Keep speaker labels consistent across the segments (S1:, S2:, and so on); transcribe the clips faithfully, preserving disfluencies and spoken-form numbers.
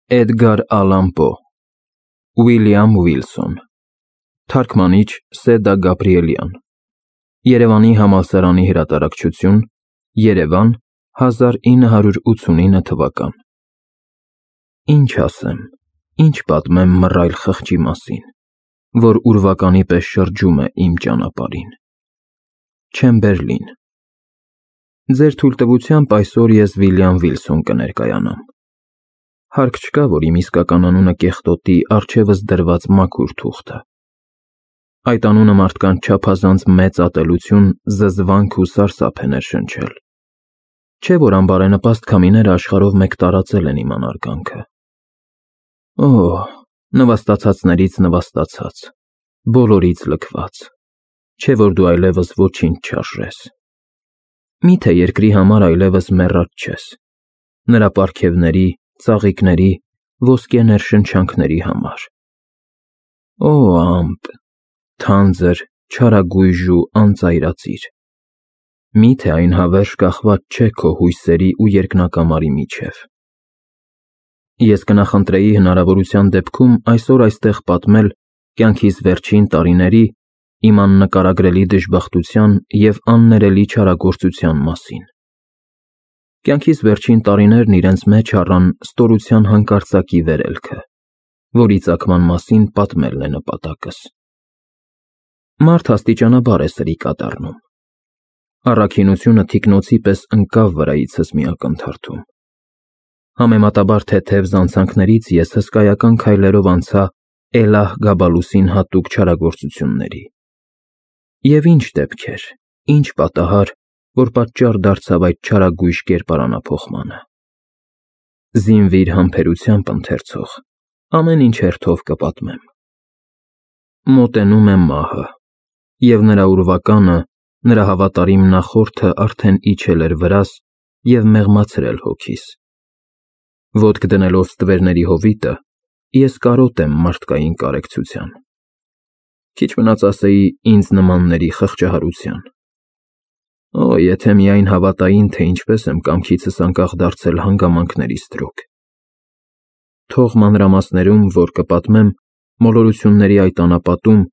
S1: Էդգար Ալան Պո, Ուիլյամ Ուիլսոն, թարգմանիչ Սեդա Գաբրիելյան, Երևանի համալսարանի հրատարակչություն, Երևան, հազար ինը հարյուր ութսունինը թվական։ Ինչ ասեմ, ինչ պատմեմ մռայլ խղճի մասին, որ ուրվականի պես շրջում է իմ ճանապարհին։ Չեմբերլին։ Ձեր թույլտվությամբ այսօր ես Վիլյամ Վիլսոն կներկայանամ։ Հարկ չկա, որ իմ իսկական անունը կեղտոտի առջևս դրված մաքուր թուղթը։ Այդ անունը մարդկանց չափազանց մեծ ատելություն, զզվանք ու սարսափ է ներշնչել։ Չէ՞ որ անբարենպաստ քամիները աշխարհով մեկ տարածել են իմ անարգանքը։ Օ, նվաստացածներից նվաստացած, բոլորից լքված, չէ՞ որ դու այլևս ոչինչ չարժես։ Միթե երկրի համար այլևս մեռած չես, նրա պարգևների, ծաղիկների, ոսկե ներշնչանքների համար։ Օ ամպ, թանձր, չարագույժ ու անծայրածիր, միթե այն հավերժ կախված չէ քո հույսերի ու երկնակամարի միջև։ Ես կնախընտրեի հնարավորության դեպքում այսօր այստեղ պատմել կյանքիս վերջին տարիների իմ աննկարագրելի դժբախտության և աններելի չարագործության մասին։ Կյանքիս վերջին տարիներն իրենց մեջ առան ստորության հանկարծակի վերելքը, որի ծագման մասին պատմելն է նպատակս։ Մարդ աստիճանաբար է սրիկա դառնում։ Առաքինությունը թիկնոցի պես ընկավ վրայիցս մի ակնթարթում։ Համեմատաբար թեթև զանցանքներից ես հսկայական քայլերով անցա Էլահ Գաբալուսին հատուկ չարագործությունների։ Եվ ինչ դեպքեր, ինչ պատահար, որ պատճառ դարձավ այդ չարագույժ կերպարանափոխմանը։ Զինվիր համբերությամբ, ընթերցող, ամեն ինչ հերթով կպատմեմ։ Մոտենում է մահը, և նրա ուրվականը, նրա հավատարիմ նախորդը արդեն իջել էր վրաս և մեղմացրել հոգիս։ Ոտք դնելով ստվերների հովիտը, ես կարոտ եմ մարդկային կարեկցության։ Քիչ մնաց ասեի ինձ նմանների խղճահարության։ Օ, եթե միայն հավատային, թե ինչպես եմ կամքիցս անկախ դարձել հանգամանքների ստրուկ։ Թող մանրամասներում, որ կպատմեմ, մոլորությունների այդ անապատում,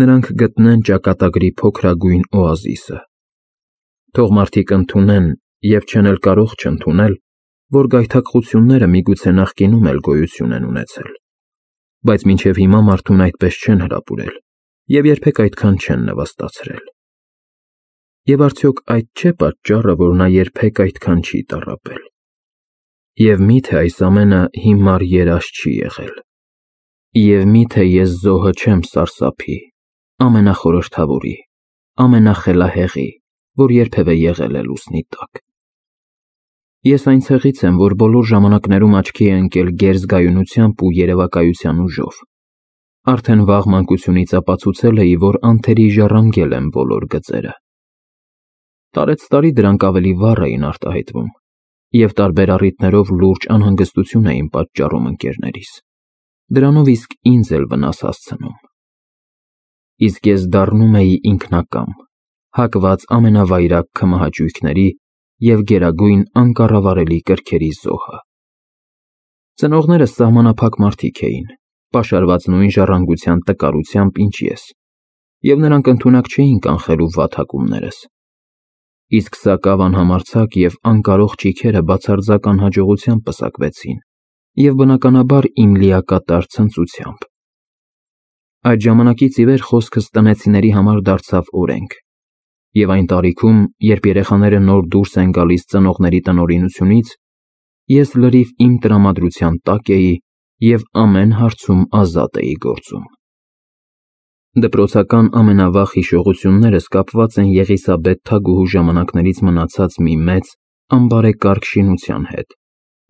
S1: նրանք գտնեն ճակատագրի փոքրագույն օազիսը։ Թող մարդիկ ընդունեն և չեն էլ կարող չընդունել, որ գայթակղությունները միգուցե նախկինում էլ գոյություն են ունեցել, բայց մինչև հիմա մարդուն այդպես չեն հրապուրել և երբեք այդքան չեն նվաստացրել։ Եվ արդյոք այդ չէ պատճառը, որ նա երբեք այդքան չի տառապել։ Եվ միթե այս ամենը հիմար երազ չի եղել։ Եվ միթե ես զոհը չեմ սարսափի, ամենախորհրդավորի, ամենախելահեղի, որ երբևէ եղել է լուսնի տակ։ Ես այն ցեղից եմ, որ բոլոր ժամանակներում աչքի է ընկել գերզգայունությամբ ու երևակայության ուժով։ Արդեն վաղ մանկությունից ապացուցել էի, որ անթերի ժառանգել եմ բոլոր գծերը։ Տարեցտարի դրանք ավելի վառ էին արտահայտվում, և տարբեր առիթներով լուրջ անհանգստություն էին պատճառում ընկերներիս, դրանով իսկ ինձ էլ վնաս հասցնում։ Իսկ ես դառնում էի ինքնակամ, հակված ամենավայրագ քմահաճույքների և գերագույն անկառավարելի կրքերի զոհը։ Ծնողներս սահմանափակ մարդիկ էին, պաշարված նույն ժառանգության տկարությամբ, ինչ ես, և նրանք ընդունակ չէին կանխելու վատ հակումներս։ Իսկ սակավ անհամարձակ և անկարող ճիգերը բացարձակ անհաջողությամբ պսակվեցին և բնականաբար իմ լիակատար ցնծությամբ։ Այդ ժամանակից ի վեր խոսքս տնեցիների համար դարձավ օրենք, և այն տարիքում, երբ երեխաները նոր դուրս են գալիս ծնողների տնօրինությունից, ես լրիվ իմ տրամադրության տակ էի և ամեն հարցում ազատ էի գործում։ Դպրոցական ամենավաղ հիշողություններս կապված են Եղիսաբեթ Թագուհու ժամանակներից մնացած մի մեծ, անբարեկարգ շինության հետ,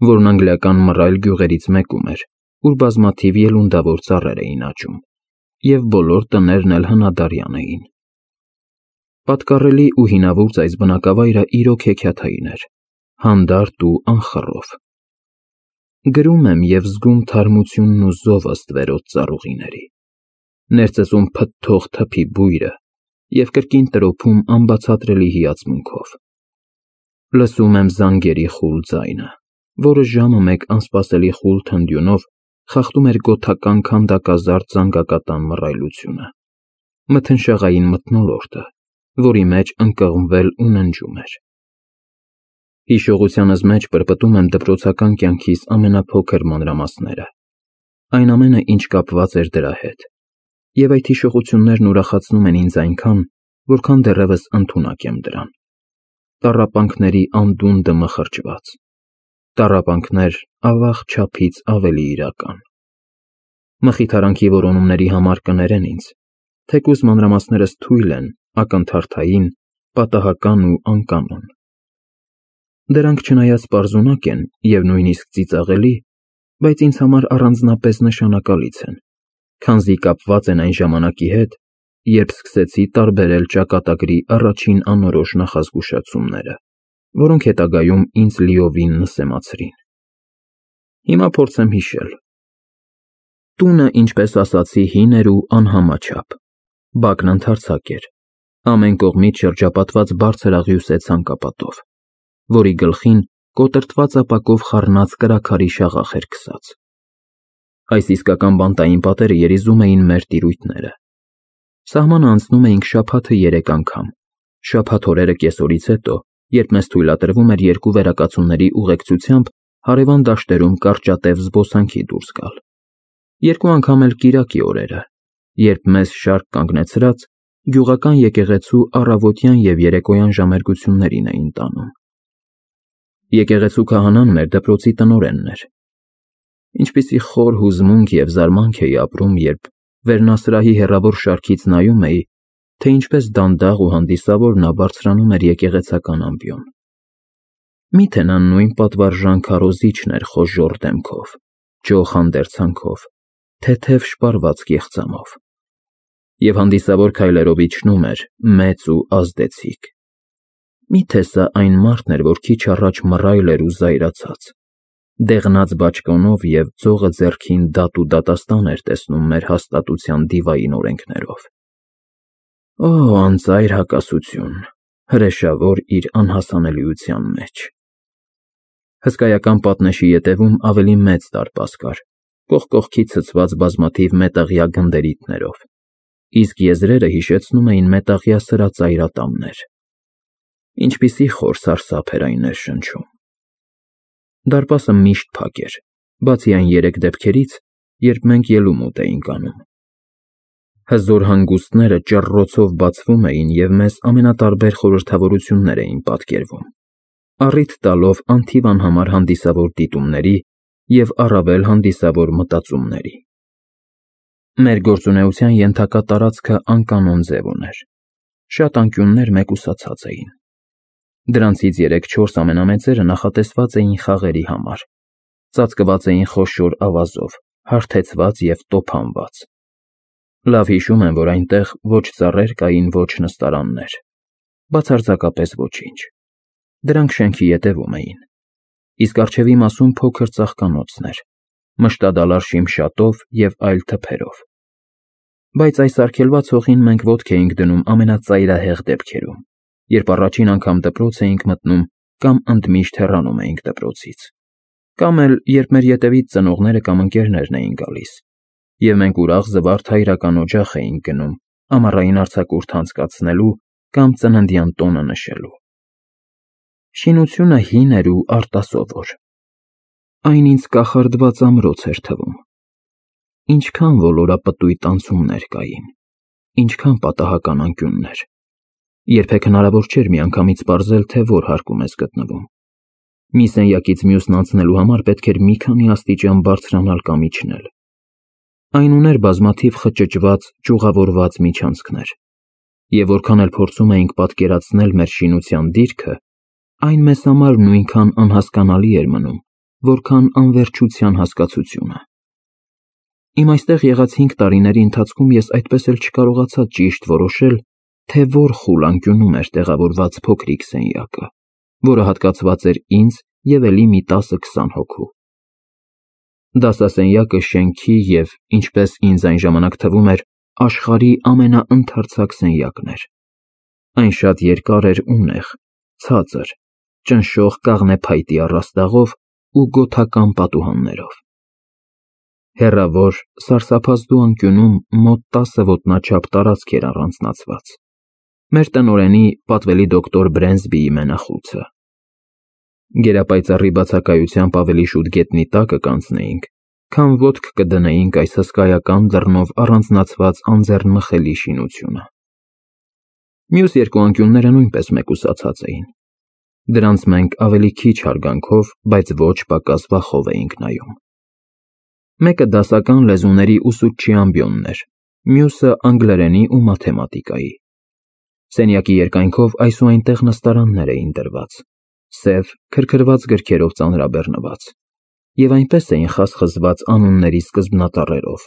S1: որն անգլիական մռայլ գյուղերից մեկում էր, ուր բազմաթիվ ելունդավոր ծառեր էին աճում, և բոլոր տներն էլ հնադարյան էին։ Պատկառելի ու հինավուրց այս բնակավայրը իրոք հեքիաթային էր, հանդարտ ու անխռով։ Գրում եմ և զգում թարմությունն ու զովը ստվերոտ ծառուղիների, ներծծում փթթող թփի բույրը և կրկին տրոփում անբացատրելի հիացմունքով։ Լսում եմ զանգերի խուլ ձայնը, որը ժամը մեկ անսպասելի խուլ թնդյունով խախտում էր գոթական քանդակազարդ զանգակատան մռայլությունը, մթնշաղային մթնոլորտը, որի մեջ ընկղմվել ու ննջում էր։ Հիշողությանս մեջ պրպտում եմ դպրոցական կյանքիս ամենափոքր մանրամասները, այն ամենը, ինչ կապված էր դրա հետ, և այդ հիշողություններն ուրախացնում են ինձ այնքան, որքան դեռևս ընդունակ եմ դրան։ Տառապանքների անդունդը մխրճված, տառապանքներ ավաղ չափից ավելի իրական։ Մխիթարանքի որոնումների համար կներեն ինձ, թեկուզ մանրամասներս թույլ են, ակնթարթային, պատահական ու անկանոն։ Դրանք չնայած պարզունակ են և նույնիսկ ծիծաղելի, բայց ինձ համար առանձնապես նշանակալից են, քանզի կապված են այն ժամանակի հետ, երբ սկսեցի տարբերել ճակատագրի առաջին անորոշ նախազգուշացումները, որոնք հետագայում ինձ լիովին նսեմացրին։ Հիմա փորձեմ հիշել։ Տունը, ինչպես ասացի, հին էր ու անհամաչափ, բակն ընդարձակ էր, ամեն կողմից շրջապատված բարձր աղյուսե ցանկապատով, որի գլխին կոտրտված ապակով խառնած կրաքարի շաղախ էր քսած։ Այս իսկական բանտային պատերը երիզում էին մեր տիրույթները։ Սահմանը անցնում էինք շաբաթը երեք անգամ, շաբաթ օրերը կեսօրից հետո, երբ մեզ թույլատրվում էր երկու վերակացունների ուղեկցությամբ հարևան դաշտերում կարճատև զբոսանքի դուրս գալ, երկու անգամ էլ կիրակի օրերը, երբ մեզ շարք կանգնեցրած գյուղական եկեղեցու առավոտյան և երեկոյան ժամերգություններին էին տանում։ Եկեղեցու քահանան մեր դպրոցի տնօրենն էր։ Ինչպիսի խոր հուզմունք և զարմանք էի ապրում, երբ վերնասրահի հեռավոր շարքից նայում էի, թե ինչպես դանդաղ ու հանդիսավոր նա բարձրանում էր եկեղեցական ամբիոն։ Մի՞թե նա նույն պատվարժան քարոզիչն էր խոժոռ դեմքով, ջոխ հանդերձանքով, թեթև շպարված կեղծամով, և հանդիսավոր քայլերով իջնում էր, մեծ ու ազդեցիկ։ Մի՞թե սա այն մարդն էր, որ քիչ առաջ մռայլ էր ու զայրացած, դեղնած բաճկոնով և ձողը ձեռքին դատ ու դատաստան էր տեսնում մեր հաստատության դիվային օրենքներով։ Օ, անծայր հակասություն, հրեշավոր իր անհասանելիության մեջ։ Հսկայական պատնեշի ետևում ավելի մեծ դարպաս կար, կողք կողքի ցցված բազմաթիվ մետաղյա գնդերիթներով, իսկ եզրերը հիշեցնում էին մետաղյա սրածայրատամներ։ Ինչպիսի խոր սարսափ էր այն ներշնչում։ Դարպասը միշտ փակ էր, բացի այն երեք դեպքերից, երբ մենք ելումուտ էինք անում։ Հզոր հանգուստները ճռռոցով բացվում էին և մեզ ամենատարբեր խորհրդավորություններ էին պատկերվում, առիթ տալով անթիվ անհամար հանդիսավոր դիտումների և առավել հանդիսավոր մտածումների։ Մեր գործունեության ենթակա տարածքը անկանոն ձև ուներ, շատ անկյուններ մեկուսացած էին։ Դրանցից երեք-չորս ամենամեծերը նախատեսված էին խաղերի համար, ծածկված էին խոշոր ավազով, հարթեցված և տոփանված։ Լավ հիշում եմ, որ այնտեղ ոչ ծառեր կային, ոչ նստարաններ, բացարձակապես ոչինչ։ Դրանք շենքի ետևում էին, իսկ առջևի մասում փոքր ծաղկանոցներ, մշտադալար շիմշատով և այլ թփերով։ Բայց այս արգելված հողին մենք ոտք էինք դնում ամենածայրահեղ դեպքերում, երբ առաջին անգամ դպրոց էինք մտնում կամ ընդմիշտ հեռանում էինք դպրոցից, կամ էլ երբ մեր ետևից ծնողները կամ ընկերներն էին գալիս, և մենք ուրախ զվարթ հայրական օջախ էինք գնում ամառային արձակուրդ անցկացնելու կամ ծննդյան տոնը նշելու։ Շինությունը հին էր ու արտասովոր։ Այն ինձ կախարդված ամրոց էր թվում։ Ինչքան ոլորապտույտ անցումներ կային, ինչքան պատահական անկյուններ։ Երբեք հնարավոր չէր միանգամից պարզել, թե որ հարկում ես գտնվում։ Մի սենյակից մյուսն անցնելու համար պետք էր մի քանի աստիճան բարձրանալ կամ իջնել։ Այն ուներ բազմաթիվ խճճված, ճյուղավորված միջանցքներ, և որքան էլ փորձում էինք պատկերացնել մեր շինության դիրքը, այն մեզ համար նույնքան անհասկանալի էր մնում, որքան անվերջության հասկացությունը։ Իմ այստեղ եղած հինգ տարիների ընթացքում ես այդպես էլ չկարողացա ճիշտ որոշել, թե որ խուլ անկյունում էր տեղավորված փոքրիկ սենյակը, որը հատկացված էր ինձ և էլի մի տասը-քսան հոգու։ Դասասենյակը շենքի և, ինչպես ինձ այն ժամանակ թվում էր, աշխարհի ամենաընդարձակ սենյակն էր։ Այն շատ երկար էր ու նեղ, ցածր, ճնշող կաղնե փայտի առաստաղով ու գոթական պատուհաններով։ Հեռավոր, սարսափազդու անկյունում մոտ տասը ոտնաչափ տարածք էր առանձնացված։ Մեր տնօրենի պատվելի դոկտոր Բրենսբիի մենախույցը։ Գերապայծառի բացակայությամբ ավելի շուտ գետնի տակը կանցնեինք, քան ոտք կդնեինք այս հսկայական դռնով առանձնացված անձեռնմխելի շինությունը։ Մյուս երկու անկյունները նույնպես մեկուսացած էին։ Դրանց մենք ավելի քիչ հարգանքով, բայց ոչ պակաս վախով էինք նայում։ Մեկը դասական լեզուների ուսուցչի ամբիոնն էր, մյուսը անգլերենի ու մաթեմատիկայի։ Սենյակի երկայնքով այս ու այնտեղ նստարաններ էին դրված, սև, քրքրված գրքերով ծանրաբեռնված, և այնպես էին խասխզված անունների սկզբնատառերով,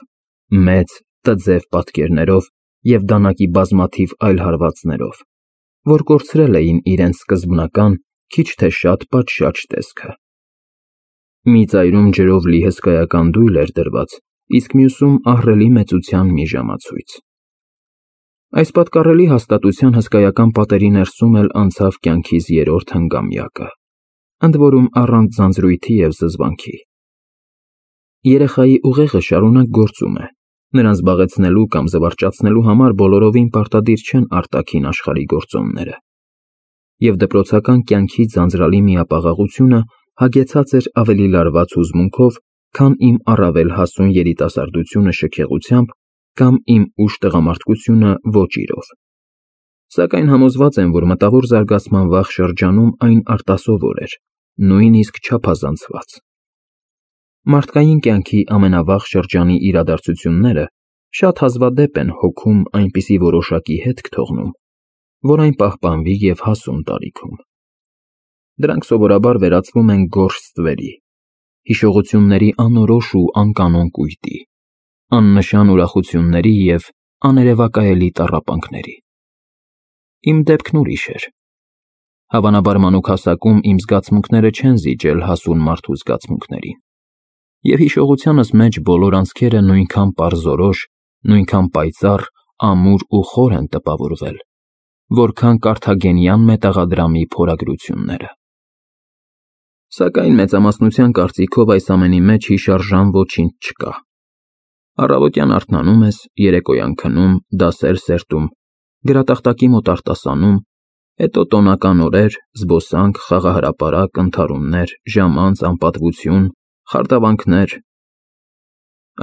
S1: մեծ, տձև պատկերներով և դանակի բազմաթիվ այլ հարվածներով, որ կորցրել էին իրենց սկզբնական, քիչ թե շատ պատշաճ տեսքը։ Մի ծայրում ջրով լի հսկայական դույլ էր դրված, իսկ մյուսում ահռելի մեծության մի ժամացույց։ Այս պատկառելի հաստատության հսկայական պատերի ներսում էլ անցավ կյանքիս երրորդ հնգամյակը, ընդ որում առանց ձանձրույթի և զզվանքի։ Երեխայի ուղեղը շարունակ գործում է, նրան զբաղեցնելու կամ զվարճացնելու համար բոլորովին պարտադիր չեն արտաքին աշխարհի գործոնները, և դպրոցական կյանքի ձանձրալի միապաղաղությունը հագեցած էր ավելի լարված հուզմունքով, քան իմ առավել հասուն երիտասարդությունը շքեղությամբ կամ իմ ուշ տղամարդկությունը ոճիրով։ Սակայն համոզված եմ, որ մտավոր զարգացման վաղ շրջանում այն արտասովոր էր, նույնիսկ չափազանցված։ Մարդկային կյանքի ամենավաղ շրջանի իրադարձությունները շատ հազվադեպ են հոգում այնպիսի որոշակի հետք թողնում, որ այն պահպանվի և հասուն տարիքում։ Դրանք սովորաբար վերածվում են գորշ ստվերի, հիշողությունների անորոշ ու անկանոն կույտի, աննշան ուրախությունների և աներևակայելի տառապանքների։ Իմ դեպքն ուրիշ էր։ Հավանաբար մանուկ հասակում իմ զգացմունքները չեն զիջել հասուն մարդու զգացմունքներին, և հիշողությանս մեջ բոլոր անցքերը նույնքան պարզորոշ, նույնքան պայծառ, ամուր ու խոր են տպավորվել, որքան կարթագենյան մետաղադրամի փորագրությունները։ Սակայն մեծամասնության կարծիքով այս ամենի մեջ հիշարժան ոչինչ չկա։ Առավոտյան արթնանում ես, երեկոյան քնում, դասեր սերտում, գրատախտակի մոտ արտասանում, հետո տոնական օրեր, զբոսանք, խաղահրապարակ, ընդհարումներ, ժամանց, անպատվություն, խարդավանքներ։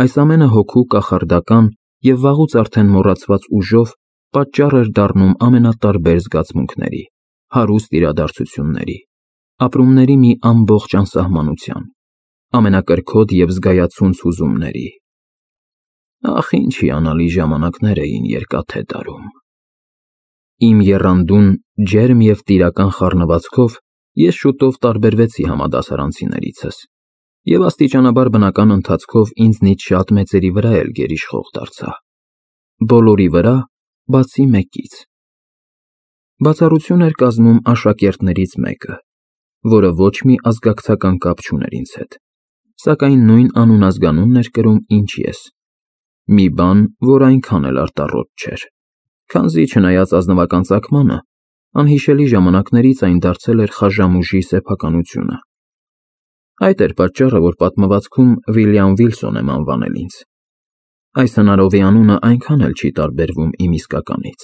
S1: Այս ամենը հոգու կախարդական և վաղուց արդեն մոռացված ուժով պատճառ էր դառնում ամենատարբեր զգացմունքների, հարուստ իրադարձությունների, ապրումների մի ամբողջ անսահմանության, ամենակրքոտ և զգայացունց հուզումների։ Ախ, ինչ հիանալի ժամանակներ էին Երկաթե տարում։ Իմ եռանդուն, ջերմ և տիրական խառնվածքով ես շուտով տարբերվեցի համադասարանցիներիցս և աստիճանաբար բնական ընթացքով ինձնից շատ մեծերի վրա էլ գերիշխող դարձա։ Բոլորի վրա, բացի մեկից։ Բացառություն էր կազմում աշակերտներից մեկը, որը ոչ մի ազգակցական կապ չուներ ինձ հետ, սակայն նույն անուն-ազգանունն էր կրում, ինչ ես, մի բան, որ այնքան էլ արտառոտ չէր, քանզի, չնայած ազնվական ծագմանը, անհիշելի ժամանակներից այն դարձել էր խաժամուժի սեփականությունը։ Այդ էր պատճառը, որ պատմվածքում Վիլյամ Վիլսոն եմ անվանել ինձ։ Այս հնարովի անունը այնքան էլ չի տարբերվում իմ իսկականից։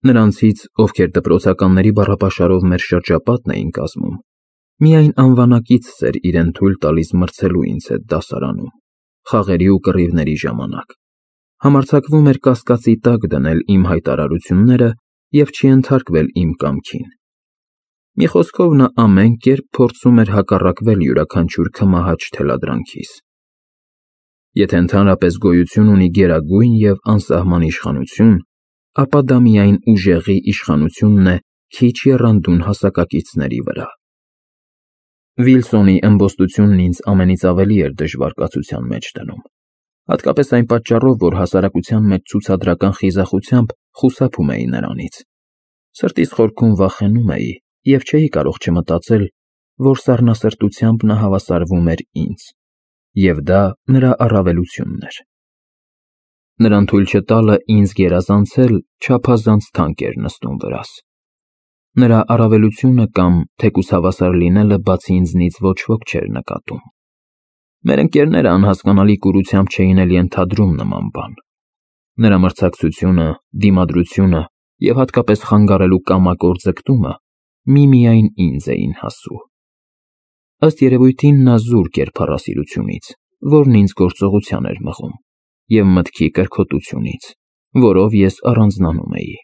S1: Նրանցից, ովքեր դպրոցականների բառապաշարով մեր շրջապատն էին կազմում, միայն անվանակիցս էր իրեն թույլ տալիս մրցելու ինձ հետ դասարանում, խաղերի ու կռիվների ժամանակ, համարձակվում էր կասկածի տակ դնել իմ հայտարարությունները և չենթարկվել իմ կամքին։ Մի խոսքով, նա ամեն կերպ փորձում էր հակառակվել յուրաքանչյուր քմահաճ թելադրանքիս։ Եթե ընդհանրապես գոյություն ունի գերագույն և անսահման իշխանություն, ապա դա միայն ուժեղի իշխանությունն է քիչ եռանդուն հասակակիցների վրա։ Վիլսոնի ըմբոստությունն ինձ ամենից ավելի էր դժվար կացության մեջ դնում, հատկապես այն պատճառով, որ հասարակության մեջ ցուցադրական խիզախությամբ խուսափում էի նրանից։ Սրտիս խորքում վախենում էի և չէի կարող չմտածել, որ սառնասրտությամբ նա հավասարվում էր ինձ, և դա նրա առավելությունն էր։ Նրան թույլ չտալը ինձ գերազանցել չափազանց թանկ էր նստում վրաս։ Նրա առավելությունը կամ թեկուզ հավասար լինելը բացի ինձնից ոչ ոք չէր նկատում։ Մեր ընկերները անհասկանալի կուրությամբ չէին էլ ենթադրում նման բան։ Նրա մրցակցությունը, դիմադրությունը և հատկապես խանգարելու կամակոր ձգտումը միմիայն ինձ էին հասու։ Ըստ երևույթին նա զուրկ էր փառասիրությունից, որն ինձ գործողության էր մղում, և մտքի կրքոտությունից, որով ես առանձնանում էի։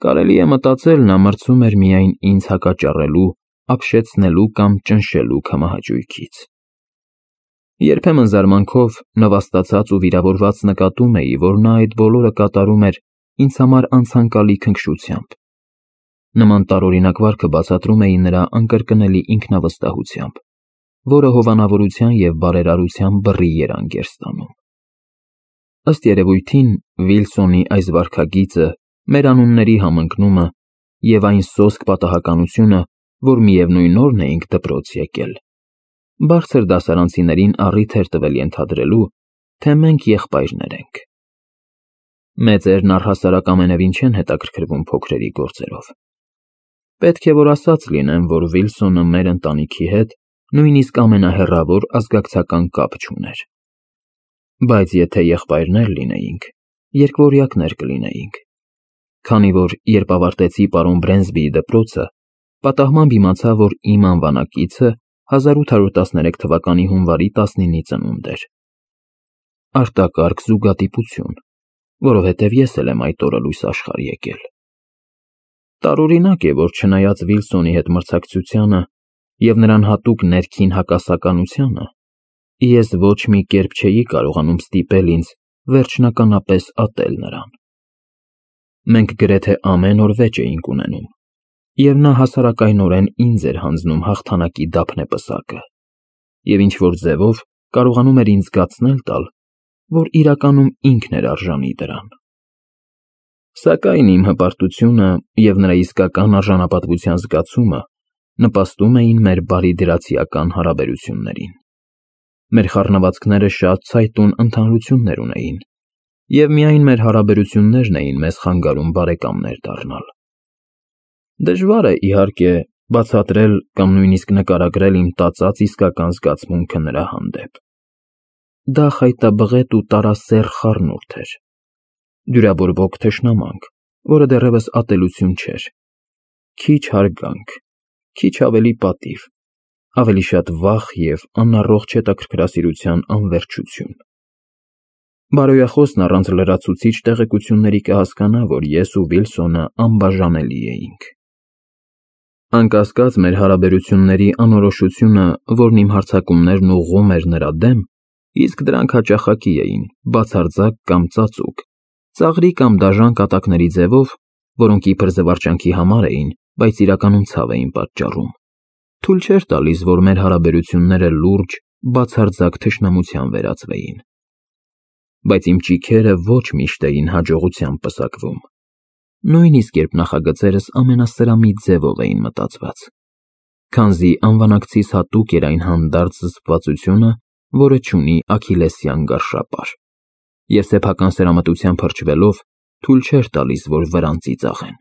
S1: Կարելի է մտածել, նա մրցում էր միայն ինձ հակաճառելու, ապշեցնելու կամ ճնշելու քմահաճույքից։ Երբեմն զարմանքով, նվաստացած ու վիրավորված նկատում էի, որ նա այդ բոլորը կատարում էր ինձ համար անցանկալի քնքշությամբ։ Նման տարօրինակ վարքը բացատրում էի նրա անկրկնելի ինքնավստահությամբ, որը հովանավորության և բարերարության բռի երանգ էր ստանում։ Ըստ երևույթին, Վիլսոնի այս վարքագիծը, մեր անունների համընկնումը և այն սոսկ պատահականությունը, որ միևնույն օրն էինք դպրոց եկել, բարձր դասարանցիներին առիթ էր տվել ենթադրելու, թե մենք եղբայրներ ենք։ Մեծերն առհասարակ ամենևին չեն հետաքրքրվում փոքրերի գործերով։ Պետք է որ ասած լինեմ, որ Վիլսոնը մեր ընտանիքի հետ նույնիսկ ամենահեռավոր ազգակցական կապ չուներ։ Բայց եթե եղբայրներ լինեինք, երկվորյակներ կլինեինք, քանի որ երբ ավարտեցի պարոն Բրենսբիի դպրոցը, պատահմամբ իմացա, որ իմ անվանակիցը հազար ութ հարյուր տասներեք թվականի հունվարի տասնինի ծնունդ էր։ Արտակարգ զուգադիպություն, որովհետև ես էլ եմ այդ օրը լույս աշխարհ եկել։ Տարօրինակ է, որ չնայած Վիլսոնի հետ մրցակցությանը և նրան հատուկ ներքին հակասականությանը, ես ոչ մի կերպ չէի կարողանում ստիպել ինձ վերջնականապես ատել նրան։ Մենք գրեթե ամեն օր վեճ էինք ունենում, և նա հասարակայնորեն ինձ էր հանձնում հաղթանակի դափնեպսակը և ինչ-որ ձևով կարողանում էր ինձ զգացնել տալ, որ իրականում ինքն էր արժանի դրան։ Սակայն իմ հպարտությունը և նրա իսկական արժանապատվության զգացումը նպաստում էին մեր բարիդրացիական հարաբերություններին։ Մեր խառնվածքները շատ ցայտուն ընդհանրություններ ունեին, և միայն մեր հարաբերություններն էին մեզ խանգարում բարեկամներ դառնալ։ Դժվար է, իհարկե, բացատրել կամ նույնիսկ նկարագրել իմ տածած իսկական զգացմունքը նրա հանդեպ։ Դա խայտաբղետ ու տարասեռ խառնուրդ էր, դյուրաբորբոք թշնամանք, որը դեռևս ատելություն չէր, քիչ հարգանք, քիչ ավելի պատիվ, ավելի շատ վախ և անառողջ հետաքրքրասիրության անվերջություն։ Բարոյախոսն առանց լրացուցիչ տեղեկությունների կհասկանա, որ ես ու Վիլսոնը անբաժանելի էինք։ Անկասկած, մեր հարաբերությունների անորոշությունը, որն իմ հարձակումներն ուղղում էր նրա դեմ, իսկ դրանք հաճախակի էին, բացարձակ կամ ծածուկ, ծաղրի կամ դաժան կատակների ձևով, որոնք իբր զվարճանքի համար էին, բայց իրականում ցավ էին պատճառում, թույլ չէր տալիս, որ մեր հարաբերությունները լուրջ, բացարձակ թշնամության վերածվեին։ Բայց իմ ճիգերը ոչ միշտ էին հաջողությամբ պսակվում, նույնիսկ երբ նախագծերս ամենասրամիտ ձևով էին մտածված, քանզի անվանակցիս հատուկ էր այն հանդարտ զսպվածությունը, որը չունի աքիլլեսյան գարշապար, և սեփական սերամտությամբ հրճվելով թույլ չէր տալիս, որ վրան ծիծաղեն։